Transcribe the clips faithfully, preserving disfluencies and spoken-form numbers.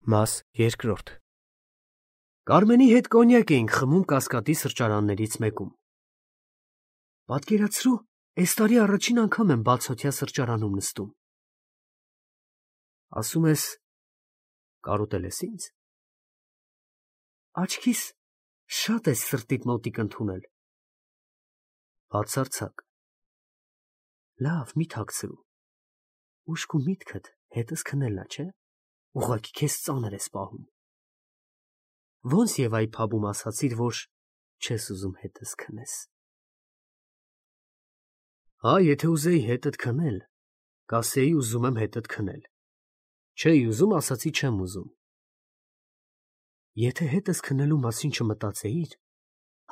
Մաս երկրորդ Կարմենի հետ կոնյակ էինք խմում Կասկադի սրճարաններից մեկում։ Պատկերացրու, այս տարի առաջին անգամ եմ բացօթյա սրճարանում նստում։ Ասում ես, կարոտել ես ինձ։ Աչքիս շատ ես սրտիդ մոտիկ ընդունել։ Բացարձակ։ Լավ, մի թաքցրու։ Ուշք ու միտքդ հետս քնելն է, չէ՞։ Ուղղակի քեզ ծանր ես պահում։ Ոնց եւ այ փաբում ասացիր, որ չես ուզում հետս քնես։ Հա, եթե ուզեի հետդ քնել, կասեի ուզում եմ հետդ քնել։ Չէի ուզում, ասացի չեմ ուզում։ Եթե հետս քնելու մասին չմտածեիր,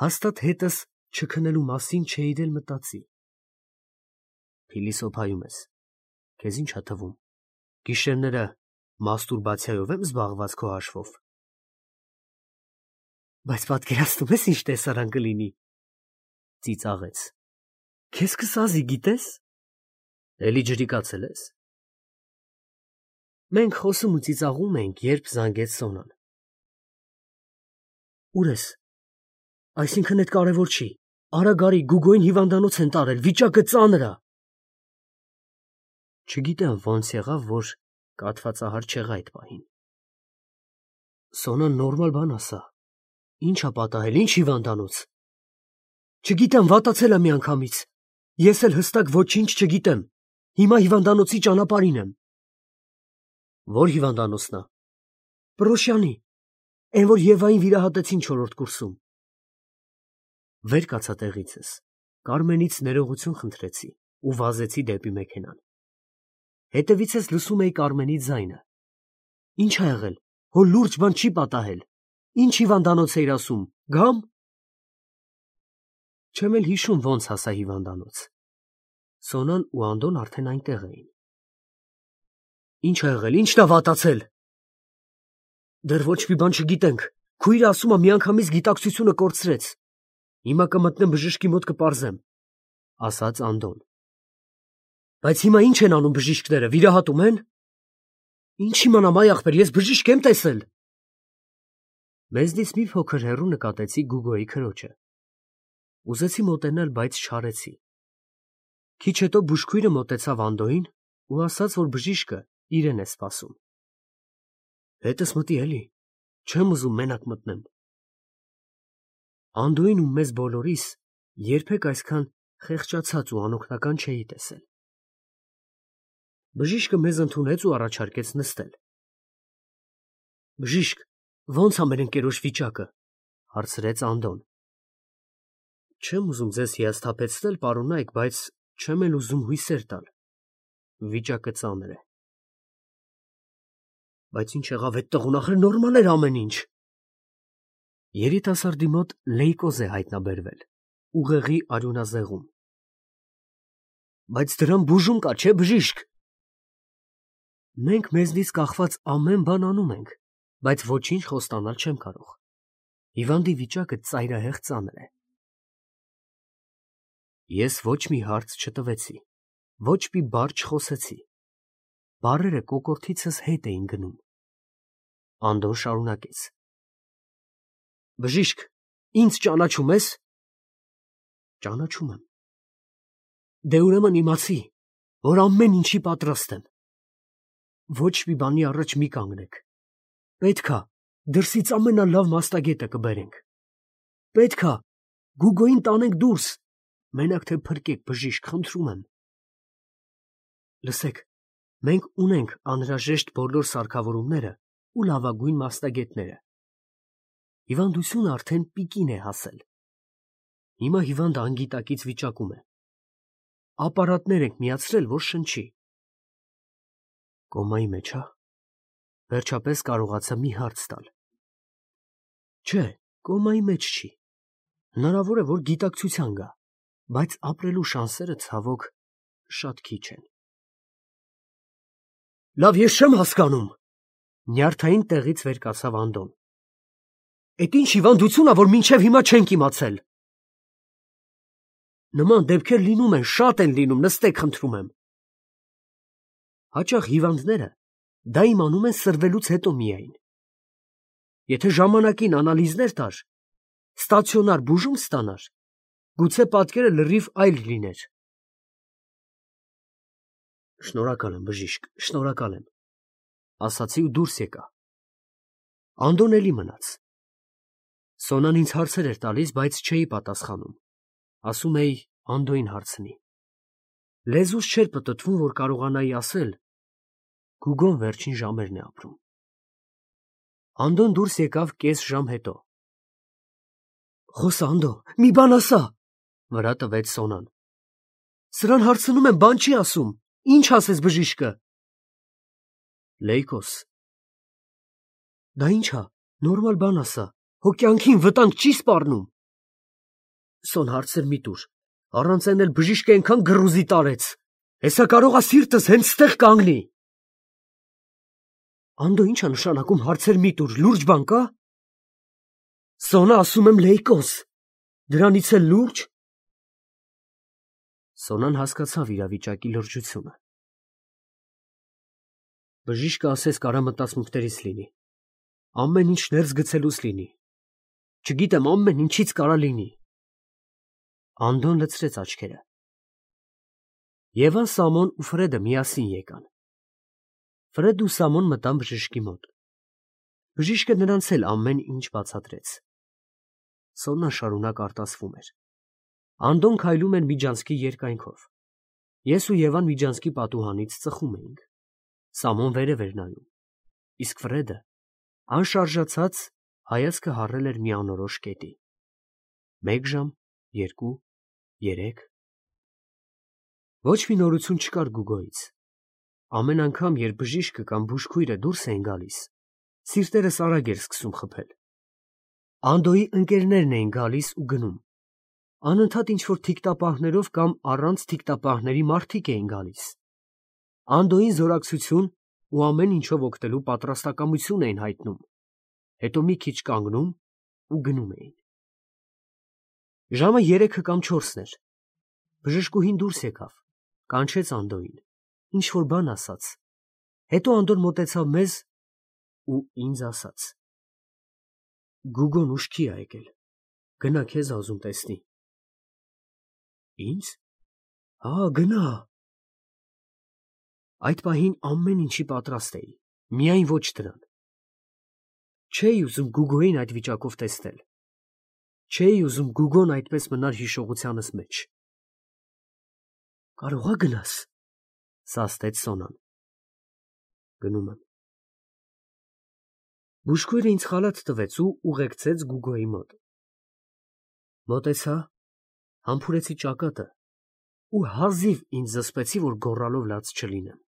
հաստատ հետս չքնելու մասին չէիր էլ մտածի։ Փիլիսոփայում ես։ Քեզ ինչ ա թվում։ Գիշերները մաստուրբացիայով եմ զբաղված քո հաշվով։ Բայց պատկերացնում ես ինչ տեսարան կլինի։ Ծիծաղեց։ Քեզ կսազի, գիտես։ Էլի ջրիկացել ես։ Մենք խոսում ու ծիծաղում էինք, երբ զանգեց Սոնան։ Ուր ես։ Այսինքն այդ կարևոր չի։ Արա գարի, Գուգոյին հիվանդանոց են տարել, վիճակը ծանր ա։ Չգիտեմ ոնց եղավ, որ կաթվածահար չեղա այդ պահին։ Սոնան նորմալ բան ասա։ Ինչ ա պատահել, ինչ հիվանդանոց։ Չգիտեմ, վատացել ա միանգամից։ Ես էլ հստակ ոչինչ չգիտեմ։ Հիմա հիվանդանոցի ճանապարհին եմ։ Որ հիվանդանոցն ա։ Պրոշյանի։ Էն որ Եվային վիրահատեցին չորրորդ կուրսում։ Վեր կացա տեղիցս։ Կարմենից ներողություն խնդրեցի ու վազեցի դեպի մեքենան։ Հետևիցս լսում էի Կարմենի ձայնը։ Ինչ ա եղել, հո լուրջ բան չի պատահել։ Ինչ հիվանդանոց էիր ասում, գամ։ Չեմ էլ հիշում ոնց հասա հիվանդանոց։ Սոնան ու Անդոն արդեն այնտեղ էին։ Ինչ ա եղել, ինչն ա վատացել։ Դեռ ոչ մի բան չգիտենք։ Քույրը ասում ա միանգամից գիտակցությունը կորցրեց։ Հիմա կմտնեմ բժշկի մոտ կպարզեմ, ասաց Անդոն։ Բայց հիմա ինչ են անում բժիշկները, վիրահատում են։ Ինչ իմանամ, այ ախպեր, ես բժիշկ եմ տեսել։ Մեզնից մի փոքր հեռու նկատեցի Գուգոյի քրոջը։ Ուզեցի մոտենալ, բայց չարեցի։ Քիչ հետո բուժքույրը մոտեցավ Անդոյին ու ասաց, որ բժիշկը իրեն է սպասում։ Հետս մտի էլի, չեմ ուզում մենակ մտնեմ։ Անդոյին ու մեզ բոլորիս երբեք այսքան խեղճացած ու անօգնական չէի տեսել։ Բժիշկը մեզ ընդունեց ու առաջարկեց նստել։ Բժիշկ, ո՞նց ա մեր ընկերոջ վիճակը, հարցրեց Անդոն։ Չեմ ուզում ձեզ հիասթափեցնել, պարոնայք, բայց չեմ էլ ուզում հույսեր տալ։ Վիճակը ծանր է։ Բայց ինչ եղավ այդ տղուն, ախր նորմալ էր ամեն ինչ։ Երիտասարդի մոտ լեյկոզ է հայտնաբերվել, ուղեղի արյունազեղում։ Բայց դրան բուժում կա, չէ՞ բժիշկ։ Մենք մեզնից կախված ամեն բան անում ենք, բայց ոչինչ խոստանալ չեմ կարող։ Հիվանդի վիճակը ծայրահեղ ծանր է։ Ես ոչ մի հարց չտվեցի, ոչ մի բառ չխոսեցի։ Բառերը կոկորդիցս հետ էին գնում։ Անդոն շարունակեց. Բժիշկ, ինձ ճանաչում ես։ Ճանաչում եմ։ Դե ուրեմն իմացի, որ ամեն ինչի պատրաստ եմ։ Ոչ մի բանի առաջ մի կանգնեք։ Պետք ա դրսից ամենալավ մաստագետը կբերենք։ Պետք ա Գուգոյին տանենք դուրս։ Մենակ թե փրկեք, բժիշկ, խնդրում եմ։ Լսեք, մենք ունենք անհրաժեշտ բոլոր սարքավորումները ու լավագույն մասնագետները։ Հիվանդությունը արդեն պիկին է հասել։ Հիմա հիվանդը անգիտակից վիճակում է։ Ապարատներ ենք միացրել, որ շնչի։ Կոմայի մեջ, հա։ Վերջապես կարողացա մի հարց տալ։ Չէ, կոմայի մեջ չի։ Հնարավոր է, որ գիտակցության գա, բայց ապրելու շանսերը ցավոք շատ քիչ են։ Լավ, ես չեմ հասկանում։ Նյարդային տեղից վեր կացավ Անդոն։ Էդ ինչ հիվանդություն ա, որ մինչև հիմա չենք իմացել։ Նման դեպքեր լինում են, շատ են լինում, նստեք, խնդրում եմ։ Հաճախ հիվանդները դա իմանում են սրվելուց հետո միայն։ եթե ժամանակին անալիզներ տար, ստացիոնար բուժում ստանար, գուցե պատկերը լրիվ այլ լիներ։ Շնորհակալ եմ, բժիշկ, շնորհակալ եմ, ասացի ու դուրս եկա։ Անդոն էլի մնաց։ Սոնան ինձ հարցեր էր տալիս, բայց չէի պատասխանում։ Ասում էի Անդոյին հարցնի։ Լեզուս չէր պտտվում, որ կարողանայի ասել. Գուգոն վերջին ժամերն է ապրում։ Անդոն դուրս եկավ կես ժամ հետո։ Խոսա, Անդո, մի բան ասա, վրա տվեց Սոնան։ Սրան հարցնում եմ, բան չի ասում։ Ինչ ասես բժիշկը։ Լեյկոս։ Դա ի՞նչ է, նորմալ բան ասա, հո կյանքին վտանգ չի սպառնում։ Սոն հարցեր մի տուր, առանց այն էլ բժիշկը այնքան գրուզի տարեց։ Հեսա կարող է սիրտս հենց ստեղ կանգնի։ Անդո, ի՞նչ է նշանակում հարցեր մի տուր, լուրջ բան կա։ Սոնա, ասում եմ լեյկոս, դրանից էլ լուրջ։ Սոնան հասկացավ իրավիճակի լրջությունը։ Բժիշկը ասես կարա մտածմունքներից լինի, ամեն ինչ ներս գցելուց լինի, չգիտեմ ամեն ինչից կարա լինի։ Անդոն լցրեց աչքերը։ Եվան, Սամոն ու Ֆրեդը միասին եկան։ Ֆրեդն ու Սամոն մտան բժիշկի մոտ։ Բժիշկը նրանց էլ ամեն ինչ բացատրեց։ Սոնան շարունակ արտասվում էր։ Անդոն քայլում էր Միջանցքի երկայնքով։ Ես ու Եվան Միջանցքի պատուհանից ծխում էինք։ Սամոն վերև էր նայում, իսկ Ֆրեդը, անշարժացած, հայացքը հառել էր մի անորոշ կետի։ Մեկ ժամ, երկու, երեք։ Ոչ մի նորություն չկար Գուգոյից։ Ամեն անգամ, երբ բժիշկը կամ բուժքույրը դուրս էին գալիս, սիրտերս արագ էր սկսում խփել։ Անդոյի ընկերներն էին գալիս ու գնում։ Անընդհատ ինչ-որ թիկտապահներով կամ առանց թիկտապահների մարդիկ էին գալիս։ Անդոյին զորակցություն ու ամեն ինչով օգտելու պատրաստակամություն էին հայտնում, հետո մի քիչ կանգնում ու գնում էին։ Ժամը երեքը կամ չորսն էր։ Բժշկուհին դուրս եկավ, կանչեց Անդոյին, ինչ-որ բան ասաց, հետո Անդոն մոտեցավ մեզ ու ինձ ասաց. Գուգոն ուշքի է եկել, գնա քեզ ազում տեսնի։ Ինձ։ Հա, գնա։ Այդ պահին ամեն ինչի պատրաստ էի, միայն ոչ դրան։ Չէի ուզում Գուգոյին այդ վիճակով տեսնել։ Չէի ուզում Գուգոն այդպես մնար հիշողությանս մեջ։ Կարող ա գնաս, սաստեց Սոնան։ Գնում եմ։ Բուժքույրը ինձ խալաթ տվեց ու ուղեկցեց Գուգոյի մոտ։ Մոտեցա, համբուրեցի ճակատը ու հազիվ ինձ զսպեցի, որ գոռալով լաց չլինեմ։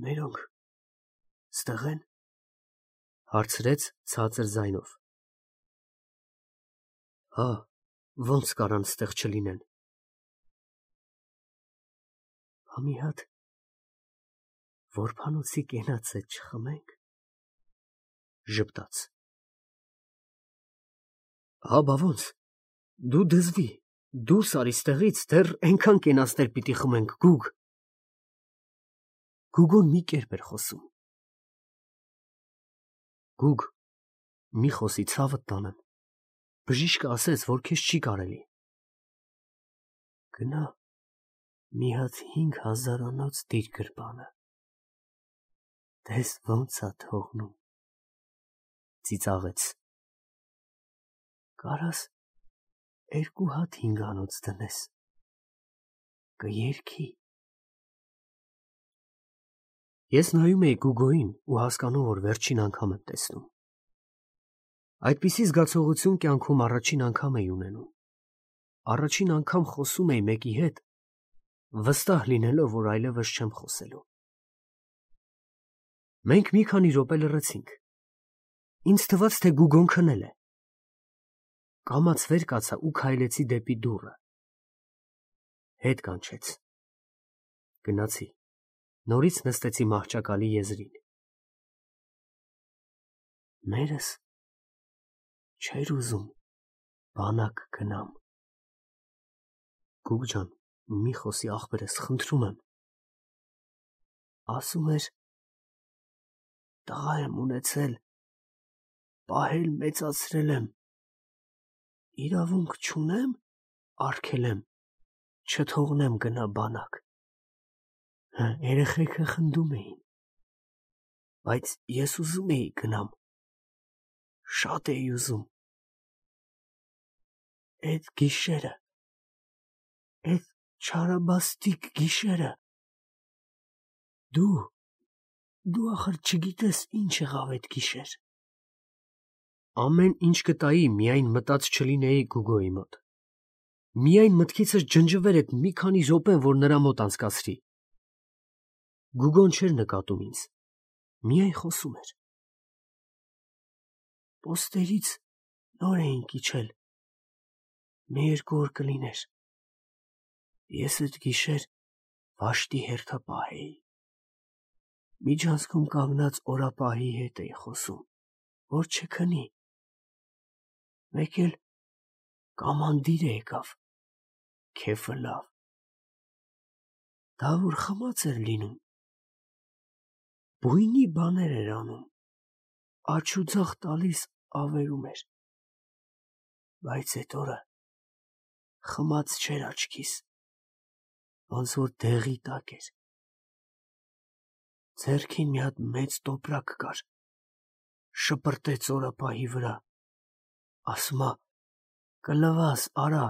Մերոնք ստեղ են, հարցրեց ցածր ձայնով։ Հա, ոնց կարան ստեղ չլինեն։ Հա մի հատ որբանոցի կենացը չխմենք, ժպտաց։ Հա, բա ոնց, դու դզվի, դուրս արի ստեղից, դեռ այնքան կենացներ պիտի խմենք, Գուգ։ Գուգոն մի կերպ էր խոսում։ Գուգ, մի խոսի ցավդ տանեմ, բժիշկը ասեց, որ քեզ չի կարելի։ Գնա, մի հատ հինգ հազարանոց դիր գրպանը, տես ոնց ա թողնում, ծիծաղեց։ Կարաս երկու հատ հինգանոց դնես, կերքի։ Ես նայում էի Գուգոյին ու հասկանում, որ վերջին անգամ եմ տեսնում։ Այդպիսի զգացողություն կյանքում առաջին անգամ էի ունենում։ Առաջին անգամ խոսում էի մեկի հետ, վստահ լինելով, որ այլևս չեմ խոսելու։ Մենք մի քանի րոպե լռեցինք։ Ինձ թվաց, թե Գուգոն քնել է։ Կամաց վեր կացա ու քայլեցի դեպի դուռը։ Հետ կանչեց։ Գնացի։ Նորից նստեցի մահճակալի եզրին։ Մերս չէր ուզում բանակ գնամ։ Գուգ ջան, մի խոսի ախպերս, խնդրում եմ։ Ասում էր, տղա եմ ունեցել, պահել մեծացրել եմ։ Իրավունք չունեմ արգելեմ, չթողնեմ գնա բանակ։ Երեխեքը խնդում էին, բայց ես ուզում էի գնամ, շատ էի ուզում։ Էդ գիշերը, էդ չարաբաստիկ գիշերը, դու, դու ախր չգիտես ինչ եղավ էդ գիշեր։ Ամեն ինչ կտայի, միայն մտած չլինեի Գուգոյի մոտ։ Միայն մտքիցս ջնջվեր այդ մի քանի րոպեն, որ նրա մոտ անցկացրի։ Գուգոն չէր նկատում ինձ, միայն խոսում էր։ Պոստերից նոր էին կիչել, մի երկու օր կլիներ։ Ես այդ գիշեր վաշտի հերթապահ էի։ Միջանցքում կանգնած օրապահի հետ էի խոսում, որ չքնի։ Մեկ էլ կամանդիր եկավ, քեֆը լավ։ Դա որ խմած էր լինում, բույնի բաներ էր անում, աջ ու ձախ տալիս ավերում էր, բայց էդ օրը խմած չէր աչքիս, ոնց որ դեղի տակ էր։ Ձեռքին մի հատ մեծ տոպրակ կար, շպրտեց օրապահի վրա, ասում ա, կլվաս, արա։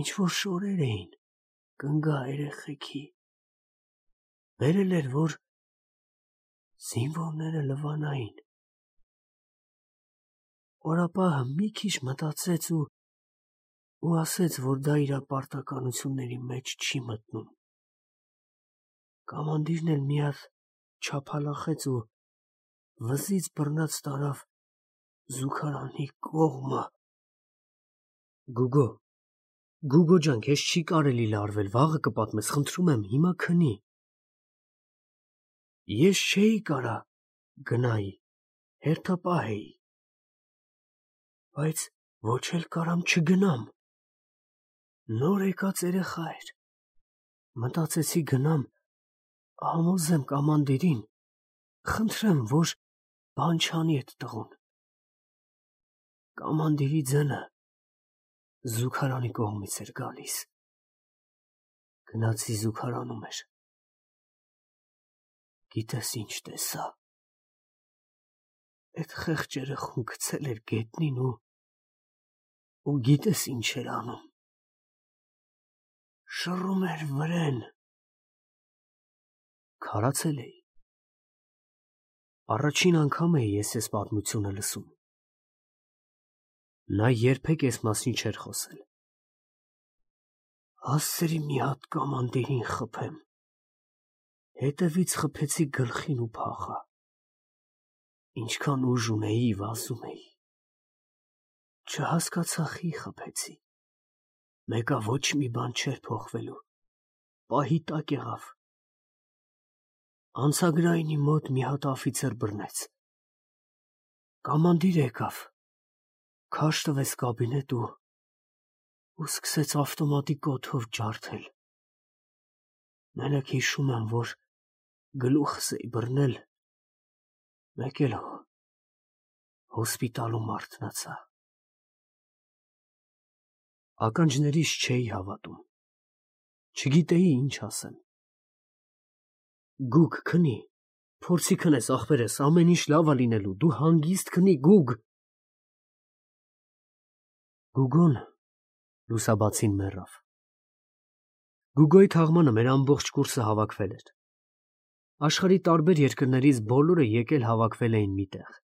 Ինչ որ շորեր էին, կնգա երեխեքի։ Բերել էր, որ զինվորները լվանային։ Օրապահը մի քիչ մտածեց ու ու ասեց, որ դա իր պարտականությունների մեջ չի մտնում։ Կամանդիրն էլ մի հատ չափալախեց ու վզից բռնած տարավ զուգարանի կողմը։ Գուգո, Գուգո ջան, քեզ չի կարելի լարվել, վաղը կպատմես, խնդրում եմ, հիմա քնի։ Ես չէի կարա գնայի, հերթապահ էի, բայց ոչ էլ կարամ չգնամ։ Նոր եկած երեխա էր, մտածեցի գնամ, համոզեմ կամանդիրին, խնդրեմ, որ բան չանի էդ տղուն։ Կամանդիրի ձենը զուգարանի կողմից էր գալիս։ Գնացի զուգարանում էր։ Գիտես ինչ տեսա։ Էդ խեղճ երեխուն գցել էր գետնին ու ու գիտես ինչ էր անում։ Շռում էր վրեն։ Քարացել էի։ Առաջին անգամ էի ես այս պատմությունը լսում։ Նա երբեք այս մասին չէր խոսել։ Ասերի մի հատ կամանդիրին խփեմ։ Հետևից խփեցի գլխին ու փախա։ Ինչքան ուժ ունեի, վազում էի։ Չհասկացա խի խփեցի։ Մեկա ոչ մի բան չէր փոխվելու։ Պահի տակ եղավ։ Անցագրայինի մոտ մի հատ աֆիցեր բռնեց։ Կամանդիր եկավ, քաշ տվեց կաբինետ ու ու սկսեց ավտոմատի կոթով ջարդել։ Մենակ հիշում եմ, որ գլուխս էի բռնել, մեկ էլ հոսպիտալում արթնացա։ Ականջներիս չէի հավատում։ Չգիտեի ինչ ասեմ։ Գուգ, քնի, փորձի քնես, ախպերես, ամեն ինչ լավ ա լինելու, դու հանգիստ քնի, Գուգ։ Գուգոն լուսաբացին մեռավ։ Գուգոյի թաղմանը մեր ամբողջ կուրսը հավաքվել էր։ Աշխարհի տարբեր երկրներից բոլորը եկել հավաքվել էին միտեղ։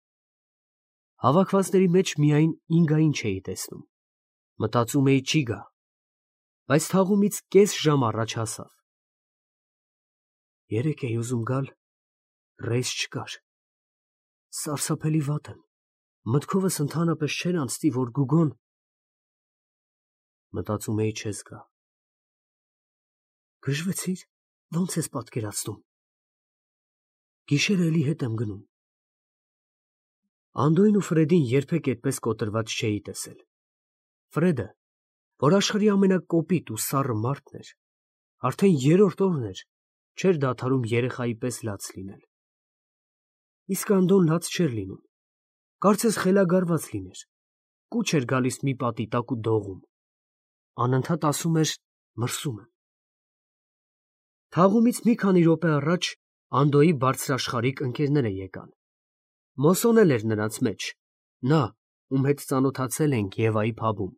Հավաքվածների մեջ միայն Ինգային չէի տեսնում։ Մտածում էի չի գա, բայց թաղումից կես ժամ առաջ հասավ։ Երեկ էի ուզում գալ, ռեյս չկար։ Սարսափելի վատ եմ։ Մտքովս ընդհանրապես չէր անցնի, որ Գուգոն… Մտածում էի չես գա։ Գժվեցիր, ո՞նց ես պատկերացնում։ Գիշերը էլի հետ եմ գնում։ Անդոյն ու Ֆրեդին երբեք այդպես կոտրված չէի տեսել։ Ֆրեդը, որ աշխարհի ամենակոպիտ ու սառը մարդն էր, արդեն երրորդ օրն էր, չէր դադարում երեխայի պես լաց լինել։ Իսկ Անդոն լաց չէր լինում, Կարծես խելագարված լիներ, կուչ էր գալիս մի պատի տակ ու դողում, անընդհատ ասում էր մրսում եմ։ Թաղումից մի քանի րոպե առաջ Անդոյի բարձրաշխարհիկ ընկերները եկան։ Մոսոն էլ էր նրանց մեջ, նա, ում հետ ծանոթացել էինք Եվայի փաբում,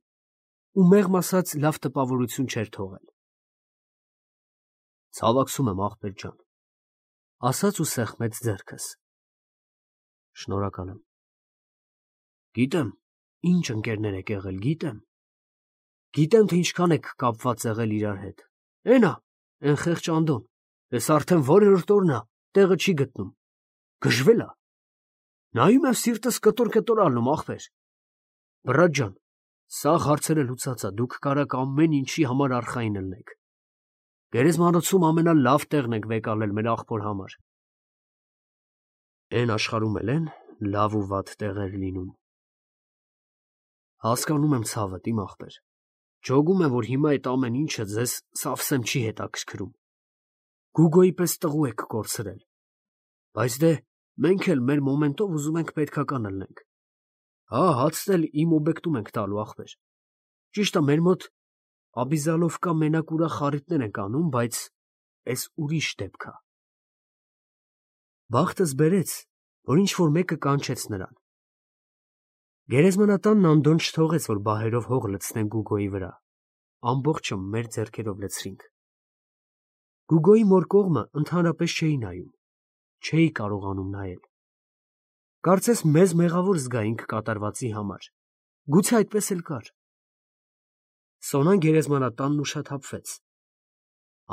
ու մեղմ ասած լավ տպավորություն չէր թողել։ Ցավակցում եմ, ախպեր ջան, ասաց ու սեղմեց ձեռքս։ Շնորհակալ եմ։ Գիտեմ, ինչ ընկերներ եք եղել, գիտեմ։ Գիտեմ, թե ինչքան եք կապված եղել իրար հետ։ Էնա, էն խեղճ Անդոն, ես արդեն որերորդ օրն ա, տեղը չի գտնում։ Գժվել ա։ Նայում եմ սիրտս կտոր-կտոր ալնում, ախպեր։ Բրատ ջան, սաղ հարցերը լուծած ա, դուք կարաք ամեն ինչի համար արխային ելնեք։ Գերեզմանոցում ամենալավ տեղն եք վեկալել մեր ախպոր համար։ Էն աշխարհում էլ են լավ ու վատ տեղեր լինում։ Հասկանում եմ ցավդ, իմ ախպեր։ Ջոգում եմ, որ հիմա այդ ամեն ինչը ձեզ սավսեմ չի հետաքրքրում։ Գուգոյի պես տղու եք կորցրել։ Բայց դե, մենք էլ մեր մոմենտով ուզում ենք պետքական ելնենք։ Հա, հացն էլ իմ օբեկտում ենք տալու, ախպեր։ Ճիշտ է, մեր մոտ Աբիզալովկա մենակ ուրախ խարիտներ ենք անում, բայց էս ուրիշ դեպք ա։ Բախտս բերեց, որ ինչ-որ մեկը կանչեց նրան։ Գերեզմանատանն Անդոն չթողեց, որ բահերով հող լցնեն Գուգոյի վրա, ամբողջը մեր ձեռքերով լցրինք։ Գուգոյի մոր կողմը ընդհանրապես չէի նայում, չէի կարողանում նայել։ Կարծես մեզ մեղավոր զգայինք կատարվածի համար, գուցե այդպես էլ կար։ Սոնան գերեզմանատանն ուշաթափվեց։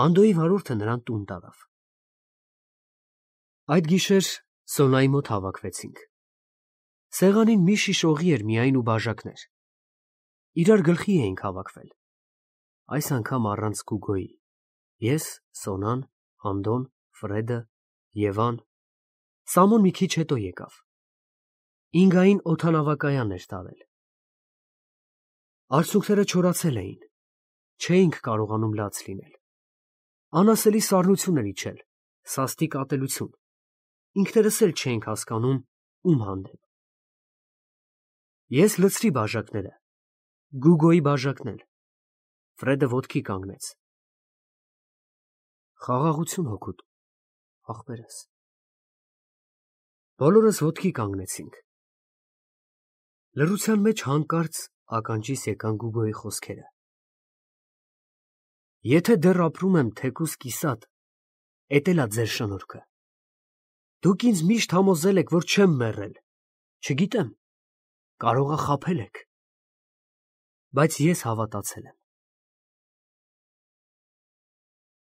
Անդոյի վարորդը նրան տուն տարավ։ Այդ գիշեր Սոնայի մոտ հավաքվեցինք։ Սեղանին մի շիշ օղի էր միայն ու բաժակներ։ Իրար գլխի էինք հավաքվել։ Այս անգամ առանց Գուգոյի։ Ես, Սոնան, Անդոն, Ֆրեդը, Եվան։ Սամոն մի քիչ հետո եկավ։ Ինգային օդանավակայան էր տարել։ Արցունքները չորացել էին։ Չէինք կարողանում լաց լինել։ Անասելի սառնություն էր իջել, սաստիկ ատելություն։ Ինքներս էլ չէինք հասկանում ում հանդեպ։ Ես լցրի բաժակները, Գուգոյի բաժակն էլ։ Ֆրեդը ոտքի կանգնեց։ Խաղաղություն հոգուտ, ախպերս։ Բոլորս ոտքի կանգնեցինք։ Լռության մեջ հանկարծ ականջիս եկան Գուգոյի խոսքերը։ Եթե դեռ ապրում եմ թեկուզ կիսատ, էդ էլ ա ձեր շնորհքը։ Դուք ինձ միշտ համոզել եք, որ չեմ մեռել։ Չգիտեմ, կարող ա խաբել եք։ Բայց ես հավատացել եմ։